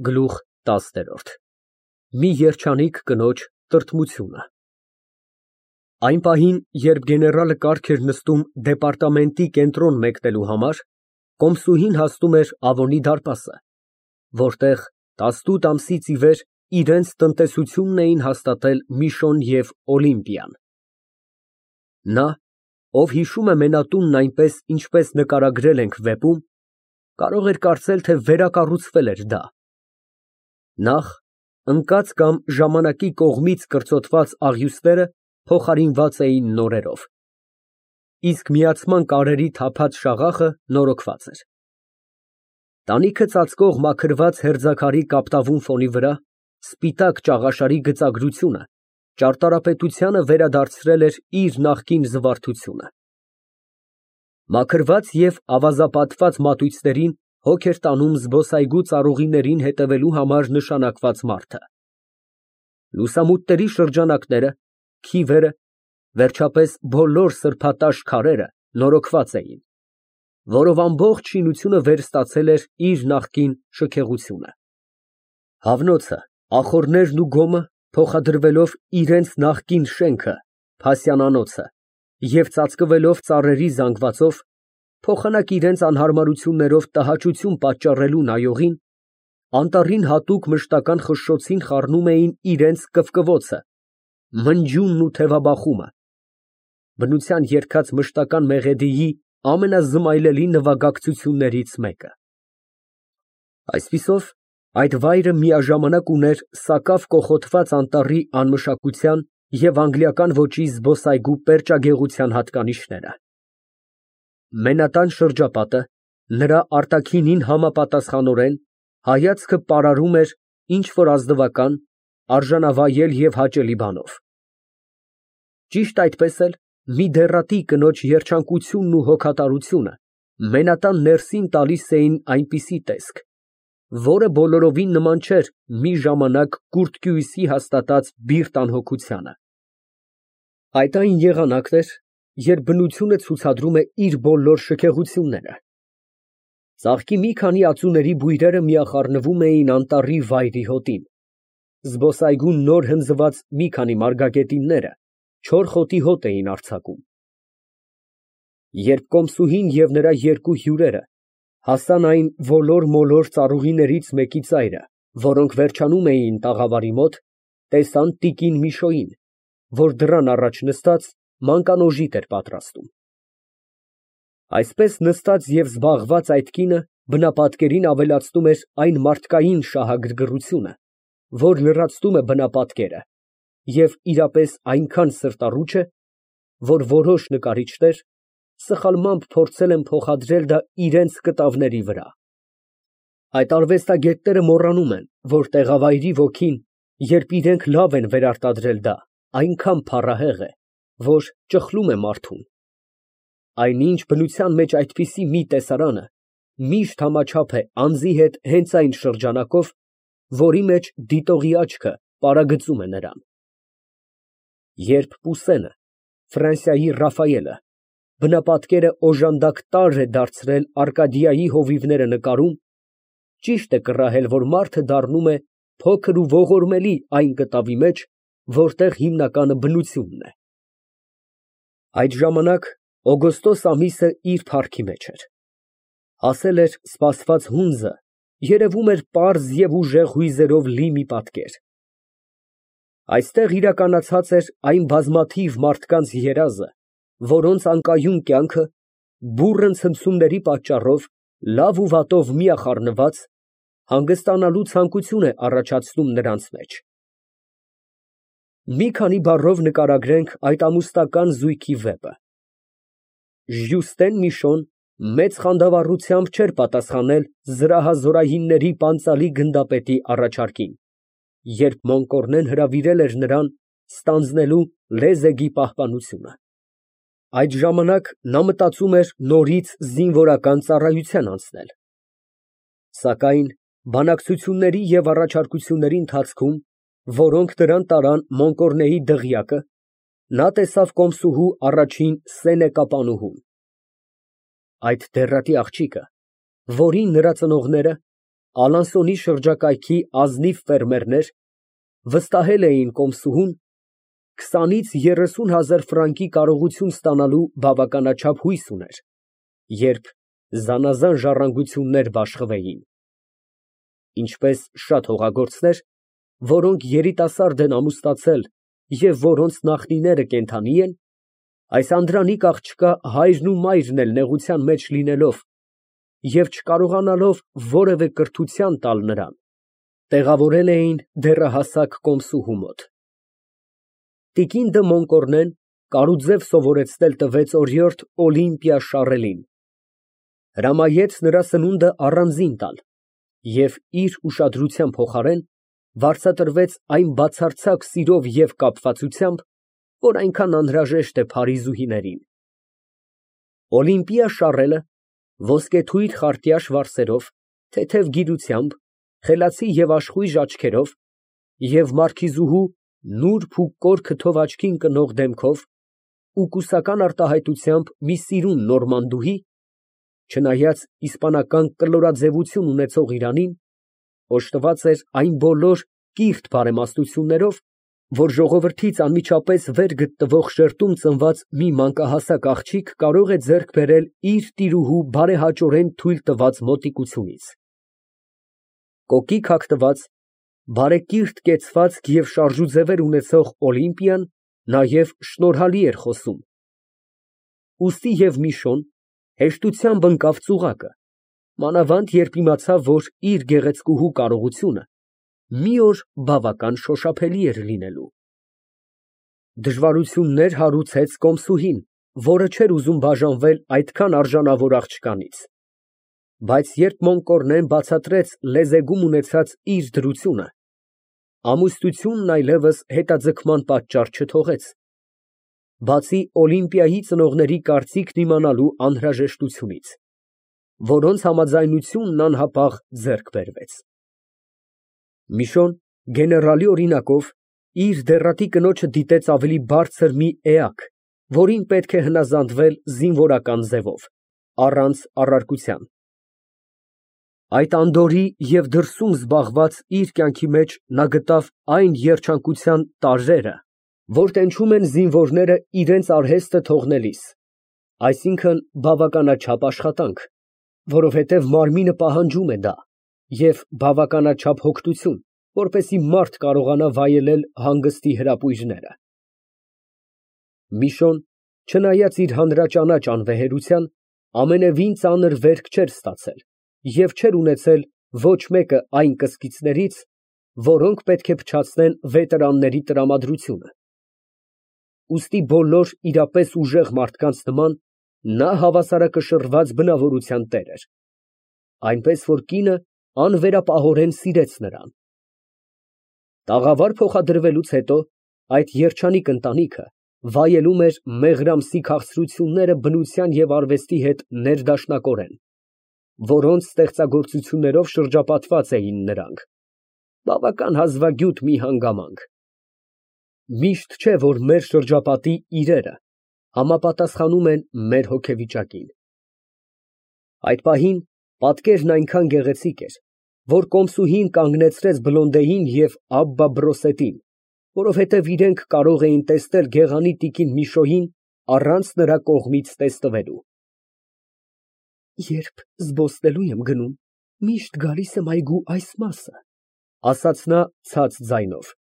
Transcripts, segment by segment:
Գլուխ ՏԱՍՆ Մի երջանիկ կնոջ տրտմությունը Այն պահին, երբ գեներալը կառք էր նստում դեպարտամենտի կենտրոն մեկնելու համար, կոմսուհին հասնում էր Ավոնի դարպասը, որտեղ 18 ամսից ի վեր իրենց տնտեսությունն էին հաստատել Միշոն և Օլիմպիան։ Նա, ով հիշում է մենատունն այնպես, ինչպես նկարագրել ենք վեպում, կարող էր կարծել, թե վերակառուցվել էր դա։ Նախ, ընկած կամ ժամանակի կողմից կրծոտված աղյուսները փոխարինված էին նորերով, իսկ միացման կարերի թափած շաղախը նորոգված էր։ Տանիքը ծածկող մաքրված հերձաքարի կապտավուն ֆոնի վրա սպիտակ ճաղաշարի գծագրությունը ճարտարապետությանը վերադարձրել էր իր նախկին զվարթությունը։ Մաքրված և ավազապատված մատույցներին հոգ էր տանում զբոսայգու ծառուղիներին հետևելու համար նշանակված մարդը։ Լուսամուտների շրջանակները, քիվերը, վերջապես բոլոր սրբատաշ քարերը նորոգված էին, որով ամբողջ շինությունը վեր ստացել էր իր նախկին շքեղությունը։ Հավնոցը, ախոռներն ու գոմը փոխադրվելով իրենց նախկին շենքը փասյանանոցը և ծածկվելով ծառերի զանգվածով, փոխանակ իրենց անհարմարություններով տհաճություն պատճառելու նայողին, անտառին հատուկ մշտական խշշոցին խառնում էին իրենց կվկվոցը, մնջյունն ու թևաբախումը, բնության երգած մշտական մեղեդիի ամենազմայլելի նվագակցություններից մեկը։ Այսպիսով, այդ վայրը միաժամանակ ուներ սակավ կոխոտված անտառի անմշակության և անգլիական ոճի զբոսայգու պերճագեղության հատկանիշները։ Մենատան շրջապատը նրա արտաքինին համապատասխանորեն հայացքը պարարում էր ինչ֊որ ազնվական, արժանավայել և հաճելի բանով։ Ճիշտ այդպես էլ մի դեռատի կնոջ երջանկությունն ու հոգատարությունը մենատան ներսին տալիս էին այնպիսի տեսք, որը բոլորովին նման չէր մի ժամանակ կուրծքյուիսի հաստատած բիրտ անհոգությանը։ Այդ այն եղանակն էր, երբ բնությունը ցուցադրում է իր բոլոր շքեղությունները։ Ծաղկի մի քանի ածուների բույրերը միախառնվում էին անտառի վայրի հոտին, զբոսայգուն նոր հնձված մի քանի մարգագետինները չոր խոտի հոտ էին արձակում։ Երբ կոմսուհին և նրա երկու հյուրերը հասան այն ոլոր֊մոլոր ծառուղիներից մեկի ծայրը, որոնք վերջանում էին տաղավարի մոտ, տեսան տիկին Միշոյին, որ դռան առաջ նստած մանկանոժիտ էր պատրաստում։ Այսպես նստած և զբաղված այդ կինը բնապատկերին ավելացնում էր այն մարդկային շահագրգռությունը, որ լրացնում է բնապատկերը և իրապես այնքան սրտառուչ է, որ որոշ նկարիչներ սխալմամբ փորձել են փոխադրել դա իրենց կտավների վրա։ Այդ արվեստագետները մոռանում են, որ տեղավայրի ոգին, երբ իրենք լավ են վերարտադրել դա, այնքան փառահեղ է, որ ճխլում է մարդուն։ Այնինչ բնության մեջ այդպիսի մի տեսարանը միշտ համաչափ է անձի հետ հենց այն շրջանակով, որի մեջ դիտողի աչքը պարագծում է նրան։ Երբ Պուսենը, Ֆրանսիայի Ռաֆայելը բնապատկերը օժանդակ տարր է դարձրել Արկադիայի հովիվները նկարում, ճիշտ է կռահել, որ մարդը դառնում է փոքր ու ողորմելի այն կտավի մեջ, որտեղ հիմնականը բնությունն է։ Այդ ժամանակ օգոստոս ամիսը իր փառքի մեջ էր։ Հասել էր սպասված հունձը, երևում էր պարզ և ուժեղ հույզերով լի մի պատկեր։ Այստեղ իրականացած էր այն բազմաթիվ մարդկանց երազը, որոնց անկայուն կյանքը, բուռն ցնցումների պատճառով, լավ ու վատով միախառնված, հանգստանալու ցանկություն է առաջացնում նրանց մեջ։ Մի քանի բառով նկարագրենք այդ ամուսնական զույգի վեպը։ Ժյուստեն Միշոն մեծ խանդավառությամբ չէր պատասխանել զրահազորայինների պանծալի գնդապետի առաջարկին, երբ Մոնկորնեն հրավիրել էր նրան ստանձնելու Լեզեգի պահպանությունը։ Այդ ժամանակ նա մտածում էր նորից զինվորական ծառայության անցնել։ Սակայն բանակցությունների և առաջարկությունների ընթացքում, որոնք նրան տարան Մոնկորնեի դղյակը, նա տեսավ կոմսուհու առաջին սենեկապանուհուն։ Այդ դեռատի աղջիկը, որին նրա ծնողները, Ալանսոնի շրջակայքի ազնիվ ֆերմերներ վստահել էին կոմսուհուն 20-ից 30,000 ֆրանկի կարողություն ստանալու բավականաչափ հույս ուներ, երբ զանազան ժառանգություններ բաշխվեին, ինչպես շատ հողագործներ, որոնք երիտասարդ են ամուսնացել և որոնց նախնիները կենդանի են, այս անդրանիկ աղջկա հայրն ու մայրն էլ նեղության մեջ լինելով և չկարողանալով որևէ կրթության տալ նրան, տեղավորել էին դեռահասակ կոմսուհու մոտ։ Տիկին դը Մոնկորնեն կարուձև սովորեցնել տվեց օրիորդ Օլիմպիա Շառելին, հրամայեց նրա սնունդը առանձին տալ և իր ուշադրության փոխարեն վարձատրվեց այն բացարձակ սիրով և կապվածությամբ, որ այնքան անհրաժեշտ է փարիզուհիներին։ Օլիմպիա Շառելը ոսկեթույր խարտյաշ վարսերով, թեթև գիրությամբ, խելացի և աշխույժ աչքերով և մարքիզուհու նուրբ ու կոր քթով աչքի ընկնող դեմքով ու կուսական արտահայտությամբ մի սիրուն նորմանդուհի, չնայած իսպանական կլորաձևություն ունեցող իրանին, օժտված էր այն բոլոր կիրթ բարեմաստություններով, որ ժողովրդից անմիջապես վեր գտնվող շերտում ծնված մի մանկահասակ աղջիկ կարող է ձեռք բերել իր տիրուհու բարեհաճորեն թույլ տված մոտիկությունից։ Կոկիկ հագնված, բարեկիրթ կեցվածք և շարժուձևեր ունեցող Օլիմպիան նաև շնորհալի էր խոսում, ուստի և Միշոն հեշտությամբ ընկավ ծուղակը, մանավանդ երբ իմացավ, որ իր գեղեցկուհու կարողությունը մի օր բավական շոշափելի էր լինելու։ Դժվարություններ հարուցեց կոմսուհին, որը չէր ուզում բաժանվել այդքան արժանավոր աղջկանից, բայց երբ Մոնկորնեն բացատրեց լեզեգում ունեցած իր դրությունը, ամուսնությունն այլևս հետաձգման պատճառ չթողեց, բացի Օլիմպիայի ծնողների կարծիքն իմանալու անհրաժեշտությունից, որոնց համաձայնությունն անհապաղ ձեռք բերվեց։ Միշոն գեներալի օրինակով իր դեռատի կնոջը դիտեց ավելի բարձր մի էակ, որին պետք է հնազանդվել զինվորական ձևով, առանց առարկության։ Այդ անդորրի և դրսում զբաղված իր կյանքի մեջ նա գտավ այն երջանկության տարրերը, որ տենչում են զինվորները իրենց արհեստը թողնելիս, այսինքն բավականաչափ աշխատանք, որովհետև մարմինը պահանջում է դա, և բավականաչափ հոգնություն, որպեսզի մարդ կարողանա վայելել հանգստի հրապույրները։ Միշոն, չնայած իր հանրաճանաչ անվեհերության, ամենևին ծանր վերք չէր ստացել և չէր ունեցել ոչ մեկը այն կսկիցներից, որոնք պետք է փչացնեն վետերանների տրամադրությունը։ Ուստի բոլոր իրապես ուժեղ մարդկանց նման նա հավասարակշռված բնավորության տեր էր, այնպես որ կինը անվերապահորեն սիրեց նրան։ Տաղավար փոխադրվելուց հետո այդ երջանիկ ընտանիքը վայելում էր Մեղրամսի քաղցրությունները բնության և արվեստի հետ ներդաշնակորեն, որոնց ստեղծագործություններով շրջապատված էին նրանք, բավական հազվագյուտ մի հանգամանք։ Միշտ չէ, որ մեր շրջապատի իրերը համապատասխանում են մեր հոգեվիճակին։ Այդ պահին պատկերն այնքան գեղեցիկ էր, որ կոմսուհին կանգնեցրեց Բլոնդեին և Աբբա Բրոսետին, որովհետև իրենք կարող էին տեսնել գեղանի տիկին Միշոյին առանց նրա կողմից տեսնվելու։ Երբ զբոսնելու եմ գնում, միշտ գալիս եմ այգու այս մասը, ասաց նա ցած ձայնով։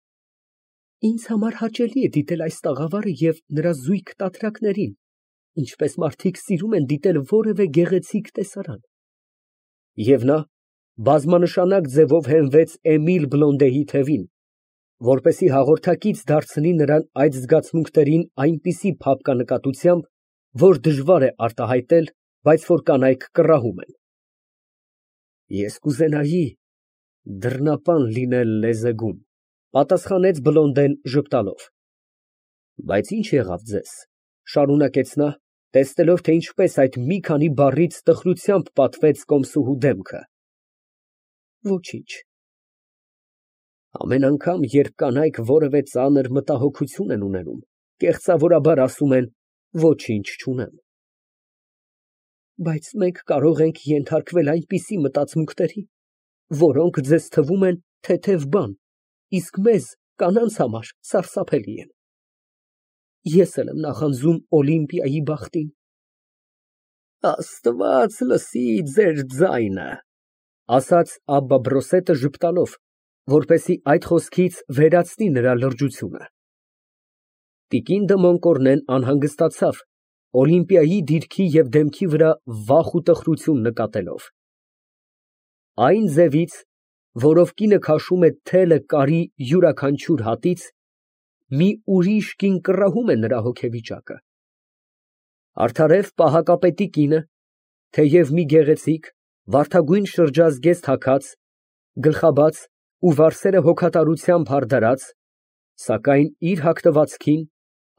Ինձ համար հաճելի է դիտել այս տաղավարը և նրա զույգ տատրակներին, ինչպես մարդիկ սիրում են դիտել որևէ գեղեցիկ տեսարան։ Եվ նա բազմանշանակ ձևով հենվեց Էմիլ Բլոնդեի թևին, որպեսզի հաղորդակից դարձնի նրան այդ զգացմունքներին այնպիսի փափկանկատությամբ, որ դժվար է արտահայտել, բայց որ կանայք կռահում են։ Ես կուզենայի դռնապան լինել լեզեգում, պատասխանեց Բլոնդեն ժպտալով։ Բայց ինչ եղավ ձեզ, շարունակեց նա, տեսնելով, թե ինչպես այդ մի քանի բառից տխրությամբ պատվեց կոմսուհու դեմքը։ Ոչինչ։ Ամեն անգամ, երբ կանայք որևէ ծանր մտահոգություն են ունենում, կեղծավորաբար ասում են ոչինչ չունեմ։ Բայց մենք կարող ենք ենթարկվել այնպիսի մտածմունքների, որոնք ձեզ թվում են թեթև բան, իսկ մեզ, կանանց համար, սարսափելի են։ Ես էլ եմ նախանձում Օլիմպիայի բախտին։ Աստված լսի ձեր ձայնը, ասաց Աբբա Բրոսետը ժպտալով, որպեսզի այդ խոսքից վերացնի նրա լրջությունը։ Տիկին դը Մոնկորնեն անհանգստացավ, Օլիմպիայի դիրքի և դեմքի վրա վախ ու տխրություն նկատելով։ Այն ձևից, որով կինը քաշում է թելը կարի յուրաքանչյուր հատից, մի ուրիշ կին կռահում է նրա հոգեվիճակը։ Արդարև պահակապետի կինը, թեև մի գեղեցիկ, վարդագույն շրջազգեստ հագած, գլխաբաց ու վարսերը հոգատարությամբ հարդարած, սակայն իր հագնվածքին,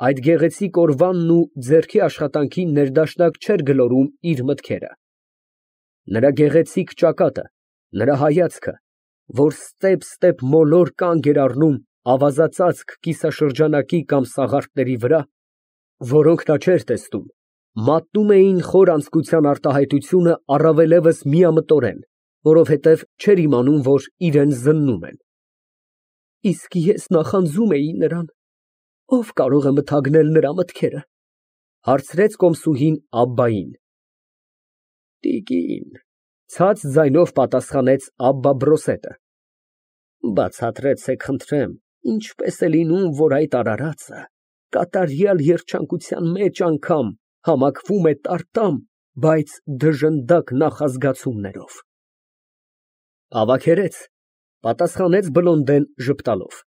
այդ գեղեցիկ օրվանն ու ձեռքի աշխատանքին ներդաշնակ չէր գլորում իր մտքերը։ Նրա գեղեցիկ ճակատը, նրա հայացքը, որ ստեպ մոլոր կանգ էր առնում ավազածածկ կիսաշրջանակի կամ սաղարթների վրա, որոնք նա չէր տեսնում, մատնում էին խոր անձկության արտահայտությունը առավելևս միամտորեն, որովհետև չէր իմանում, որ իրան զննում են։ Իսկ ես նախանձում էի նրան, ով կարող է մթագնել նրա մտքերը, հարցրեց կոմսուհին Աբբային։ Տիկին, ցած ձայնով պատասխանեց Աբբա Բրոսետը։ Բացատրեցեք, խնդրեմ, ինչպես է լինում, որ այդ արարածը կատարյալ երջանկության մեջ անգամ համակվում է տարտամ, բայց դժնդակ նախազգացումներով։ Ավագերեց, պատասխանեց Բլոնդեն ժպտալով։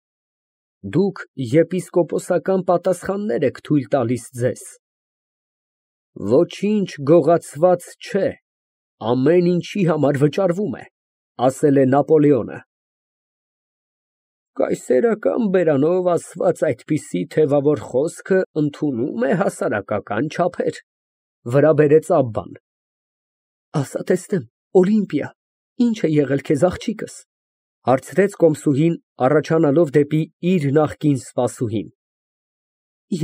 Դուք եպիսկոպոսական պատասխաններ եք թույլ տալիս ձեզ։ Ոչինչ գողացված չէ, ամեն ինչի համար վճարվում է, ասել է Նապոլեոնը։ Կայսերական բերանով ասված այդպիսի թևավոր խոսքը ընդունում է հասարակական չափեր, վրա բերեց Աբբան։ Ասա տեսնեմ, Օլիմպիա, ինչ է եղել քեզ աղջիկս, հարցրեց կոմսուհին, առաջանալով դեպի իր նախկին սպասուհին։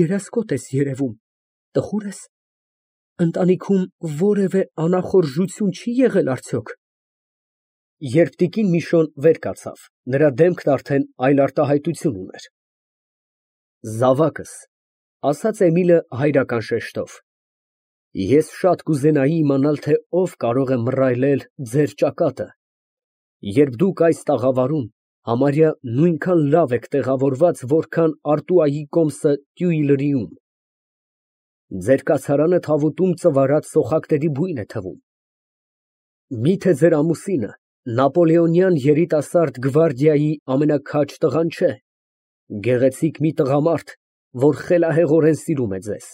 Երասկոտ ես երևում, տխուր ես, ընտանիքում որևէ անախորժություն չի եղել արդյոք։ Երբ տիկին Միշոն վեր կացավ, նրա դեմքն արդեն այլ արտահայտություն ուներ։ Զավակս, ասաց Էմիլը հայրական շեշտով, ես շատ կուզենայի իմանալ, թե ով կարող է մռայլել ձեր ճակատը, երբ դուք այս տաղավարում համարյա նույնքան լավ եք տեղավորված, որքան Արտուայի կոմսը Տյուիլրիում։ Ձեր կացարանը թավուտում ծվարած սոխակների բույն է թվում։ Միթե ձեր ամուսինը Նապոլեոնյան երիտասարդ գվարդիայի ամենաքաջ տղան չէ, գեղեցիկ մի տղամարդ, որ խելահեղորեն սիրում է ձեզ։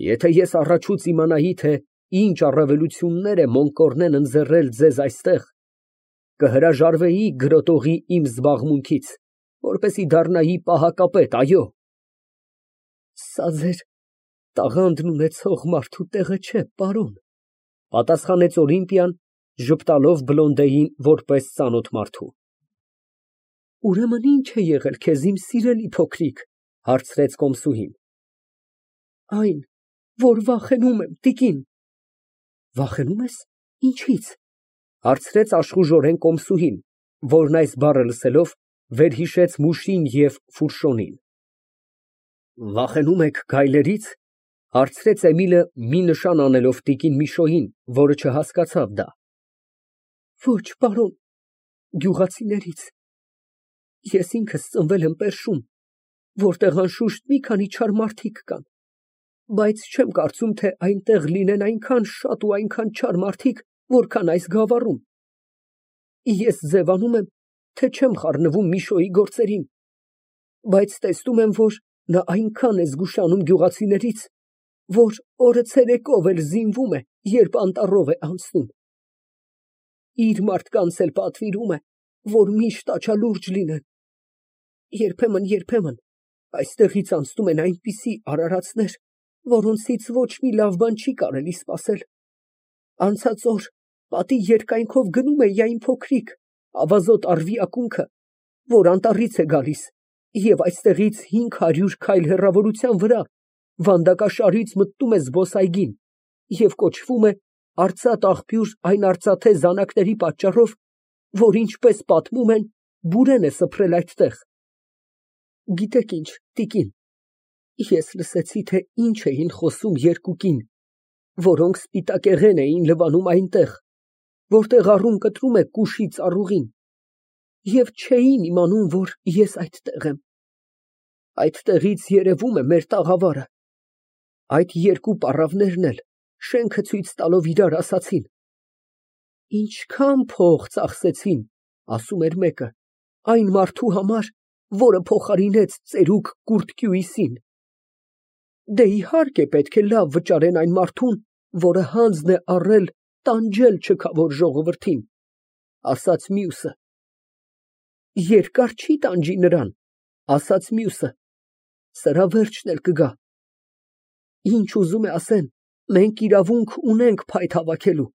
Եթե ես առաջուց իմանայի, թե ինչ առավելություններ է Մոնկորնեն ընձեռել ձեզ այստեղ, կհրաժարվեի գրոտողի իմ զբաղմունքից, որպեսզի դառնայի պահակապետ, այո։ Սա ձեր տաղանդն ունեցող մարդու տեղը չէ, պարոն, պատասխանեց Օլիմպիան, ժպտալով Բլոնդեին որպես ծանոթ մարդու։ Ուրեմն ինչ է եղել քեզ, իմ սիրելի փոքրիկ, հարցրեց կոմսուհին։ Այն, որ վախենում եմ, տիկին։ Վախենում ես, ինչից, հարցրեց աշխուժորեն կոմսուհին, որն այս բառը լսելով վերհիշեց Մուշին և Ֆուրշոնին։ Վախենում եք գայլերից, հարցրեց Էմիլը մի նշան անելով տիկին Միշոյին, որը չհասկացավ դա։ Ոչ, պարոն, գյուղացիներից։ Ես ինքս ծնվել եմ Պերշում, որտեղ անշուշտ մի քանի չար մարդիկ կան, բայց չեմ կարծում, թե այնտեղ լինեն այնքան շատ ու այնքան չար մարդիկ, որքան այս գավառում։ Ես ձևանում եմ, թե չեմ խառնվում Միշոյի գործերին, բայց տեսնում եմ, որ նա այնքան է զգուշանում գյուղացիներից, որ օրը ցերեկով էլ զինվում է, երբ անտառով է անցնում։ Իր մարդկանց էլ պատվիրում է, որ միշտ աչալուրջ լինեն։ Երբեմն այստեղից անցնում են այնպիսի արարածներ, որոնցից ոչ մի լավ բան չի կարելի սպասել։ Անցած օր պատի երկայնքով գնում էի այն փոքրիկ, ավազոտ առվի ակունքը, որ անտառից է գալիս, և այստեղից 500 քայլ հեռավորության վրա վանդակաշարից մտնում է զբոսայգին և կոչվում է արծաթ աղբյուր այն արծաթե զանակների պատճառով, որ ինչպես պատմում են, բուրեն է սփռել այդտեղ։ Գիտեք ինչ, տիկին, ես լսեցի, թե ինչ էին խոսում երկու կին, որոնք սպիտակեղեն էին լվանում այնտեղ, որտեղ առուն կտրում է կուշի ծառուղին, և չէին իմանում, որ ես այդտեղ եմ։ Այդտեղից երևում է մեր տաղավարը։ Այդ երկու պառավներն էլ շենքը ցույց տալով իրար ասացին. «Ինչքան փող ծախսեցին, ասում էր մեկը, այն մարդու համար, որը փոխարինեց ծերուկ Կուրթկյուիսին։ Դե իհարկե պետք է լավ վճարեն այն մարդուն, որը հանձն է առել տանջել չքավոր ժողովրդին», ասաց մյուսը։ «Երկար չի տանջի նրան», ասաց մյուսը, «սրա վերջն էլ կգա»։ Ինչ ուզում է ասեն, մենք իրավունք ունենք փայտ հավաքելու։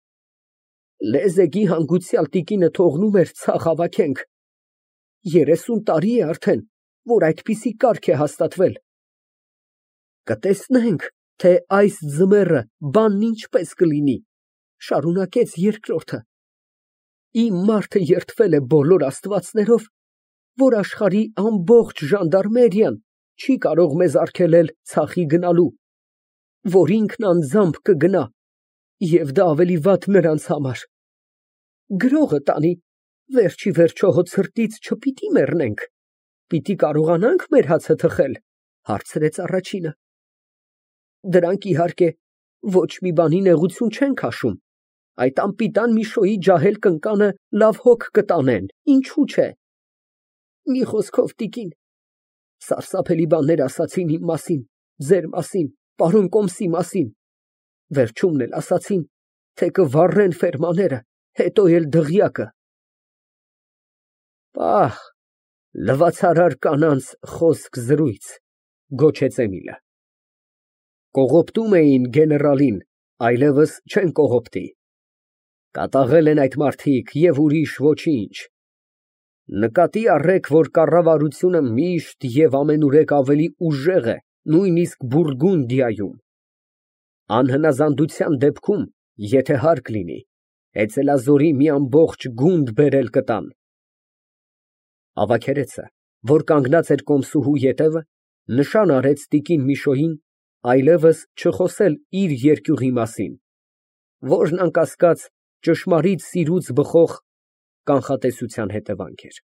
Լեզեգի հանգուցյալ տիկինը թողնում էր ցախ հավաքենք։ 30 տարի է արդեն, որ այդպիսի կարգ է հաստատվել։ Կտեսնենք, թե այս ձմեռը բանն ինչպես կլինի, շարունակեց երկրորդը։ Իմ մարդը երդվել է բոլոր աստվածներով, որ աշխարհի ամբողջ ժանդարմերիան չի կարող մեզ արգելել ցախի գնալու, որ ինքն անձամբ կգնա, և դա ավելի վատ նրանց համար։ Գրողը տանի, վերջի վերջո հո ցրտից չպիտի մեռնենք, պիտի կարողանանք մեր հացը թխել, հարցրեց առաջինը։ Դրանք իհարկե ոչ մի բանի նեղություն չեն քաշում, այդ անպիտան Միշոյի ջահել կնկանը լավ հոգ կտանեն, ինչու՞ չէ։ Մի խոսքով, տիկին, սարսափելի բաներ ասացին իմ մասին, ձեր մասին, պարոն Կոմսի մասին, վերջումն էլ ասացին, թե կվառեն ֆերմաները, հետո էլ դղյակը։ Պահ, լվացարար կանանց խոսք զրույց, գոչեց Էմիլը։ Կողոպտում էին գեներալին, այլևս չեն կողոպտի։ Կատաղել են այդ մարդիկ և ուրիշ ոչինչ։ Նկատի առեք, որ կառավարությունը միշտ և ամենուրեք ավելի ուժեղ է, նույնիսկ Բուրգունդիայում։ Անհնազանդության դեպքում, եթե հարկ լինի, հեծելազորի մի ամբողջ գունդ բերել կտան։ Ավագերեցը, որ կանգնած էր Կոմսուհու ետևը, նշան արեց տիկին Միշոյին այլևս չխոսել իր երկյուղի մասին, որն անկասկած ճշմարիտ սիրուց բխող կանխատեսության հետևանք էր։